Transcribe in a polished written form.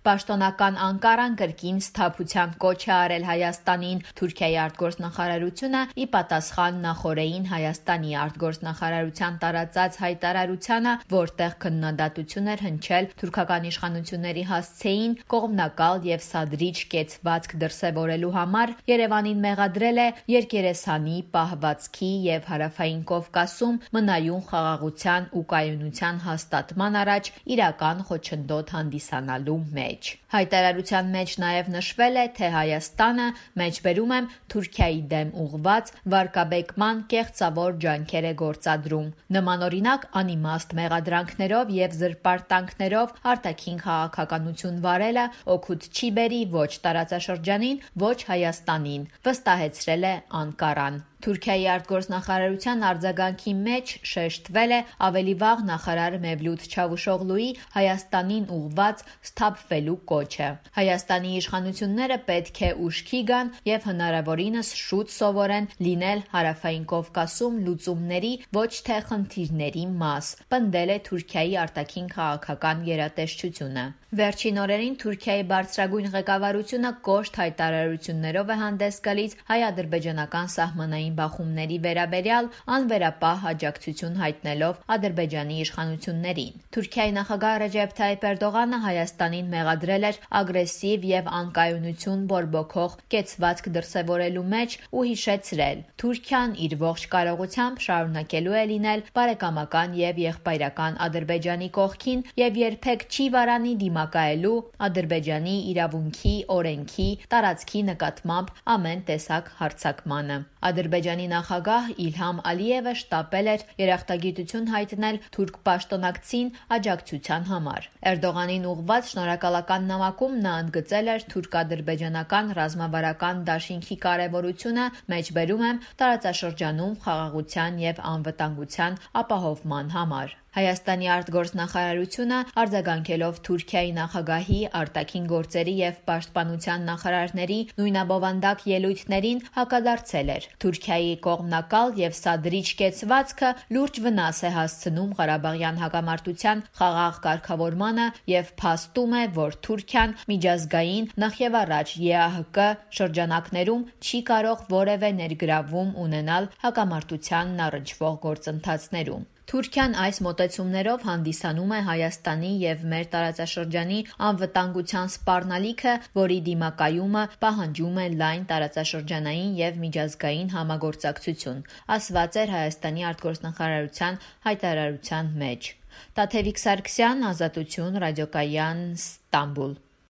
Պաշտոնական Անկարան կրկին սթափության կոչ է արել Հայաստանին։ Թուրքիայի արտգործնախարարությունը ի պատասխան նախօրեին Հայաստանի արտգործնախարարության տարածած հայտարարությանը, որտեղ քննադատություն էր հնչել թուրքական իշխանությունների հասցեին կողմնակալ եւ սադրիչ կեցվածք դրսեւորելու համար, Երևանին մեղադրել է երկերեսանի, պահվածքի եւ Հարավային Կովկասում մնայուն խաղաղության ու կայունության հաստատման առաջ իրական խոչընդոտ հանդիսանալու մեջ։ Հայտարարության մեջ նաև նշվել է, թե Հայաստանը, մեջբերում եմ, Թուրքիայի դեմ ուղղված վարկաբեկման կեղծավոր ջանքեր է գործադրում։ Նմանօրինակ անիմաստ մեղադրանքներով եւ զրպարտանքներով արտաքին քաղաքականություն վարելը օգուտ չի բերի ոչ տարածաշրջանին, ոչ Հայաստանին, վստահեցրել է Անկարան։ Թուրքիայի արտգործնախարարության արձագանքի մեջ շեշտվել է ավելի վաղ նախարար Մևլութ Չավուշօղլուի Հայաստանին ուղղված սթափվելու կոչը։ Հայաստանի իշխանությունները պետք է ուշքի գան եւ հնարավորինս շուտ սովորեն լինել Հարավային Կովկասում լուծումների, ոչ թե խնդիրների մաս, պնդել է Թուրքիայի արտաքին քաղաքական գերատեսչությունը։ Վերջին օրերին Թուրքիայի բարձրագույն ղեկավարությունը կոշտ հայտարարություններով է հանդես գալիս հայ-ադրբեջանական սահմանային բախումների վերաբերյալ, անվերապահ աջակցություն հայտնելով Ադրբեջանի իշխանություններին։ Թուրքիայի նախագահ Ռեջեփ Թայիփ Էրդողանը Հայաստանին մեղադրել էր ագրեսիվ եւ անկայունություն բորբոքող կեցվածք դրսեւորելու մեջ ու հիշեցրել. Թուրքիան իր ողջ կարողությամբ շարունակելու է լինել բարեկամական եւ եղբայրական Ադրբեջանի կողքին եւ երբեք չի վարանի դիմակայելու Ադրբեջանի իրավունքի, օրենքի, տարածքի նկատմամբ ամեն տեսակ հարձակմանը։ Ադրբեջանի նախագահ Իլհամ Ալիևը շտապել էր երախտագիտություն հայտնել թուրք պաշտոնակցին աջակցության համար։ Էրդողանին ուղղված շնորհակալական նամակում նա ընդգծել էր թուրք-ադրբեջանական ռազմավարական դաշինքի կարևորությունը, մեջբերում եմ, տարածաշրջանում խաղաղության եւ անվտանգության ապահովման համար։ Հայաստանի արտգործնախարարությունը արձագանքելով Թուրքիայի նախագահի, արտաքին գործերի եւ պաշտպանության նախարարների նույնաբովանդակ ելույթներին հակադարձել էր։ Թուրքիայի կողմնակալ եւ սադրիչ կեցվածքը լուրջ վնաս է հասցնում Ղարաբաղյան հակամարտության խաղաղ կարգավորմանը եւ փաստում է, որ Թուրքիան միջազգային, նախևառաջ ԵԱՀԿ շրջանակներում չի կարող որևէ ներգրավում ունենալ հակամարտությանն առնչվող գործընթացներում։ Թուրքիան այս մոտեցումներով հանդիսանում է Հայաստանի եւ մեր տարածաշրջանի անվտանգության սպառնալիքը, որի դիմակայումը պահանջում է լայն տարածաշրջանային եւ միջազգային համագործակցություն, ասված էր Հայաստանի արտգործնախարարության հայտարարության մեջ։ Տաթևիկ Սարգսյան, Ազատություն, Ռադիոկայան, Ստամբուլ։